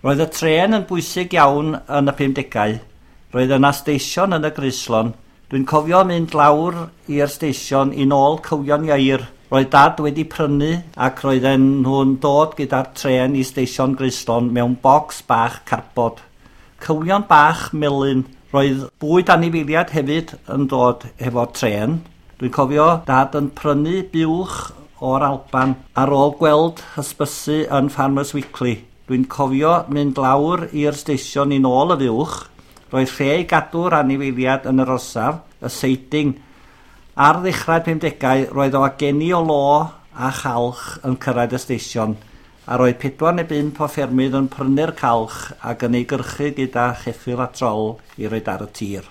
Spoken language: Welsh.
Roedd y trên yn bwysig iawn yn y 50au. Roedd yna stesion yn y Groeslon. Dwi'n cofio mynd lawr i'r stesion i nôl cywion ieir. Roedd Dad wedi prynu ac roedden nhw'n dod gyda'r trên i stesion Groeslon mewn bocs bach carbod. Cywion bach melyn. Roedd bwyd anifeiliaid hefyd yn dod hefo'r trên. Dwi'n cofio Dad yn prynu buwch o'r Alban ar ôl gweld hysbysu yn Farmers Weekly. Dwi'n cofio mynd lawr i'r stesion i nôl y fuwch. Roedd lle i gadw'r anifeiliaid yn yr orsaf, y seiding. Ar ddechrau'r 50au, roedd wageni o lo a chalch yn cyrraedd y stesion, a roedd 4 neu 5 o ffermydd yn prynu'r calch ac yn ei gyrchu gyda cheffyl a trol i roid ar y tir.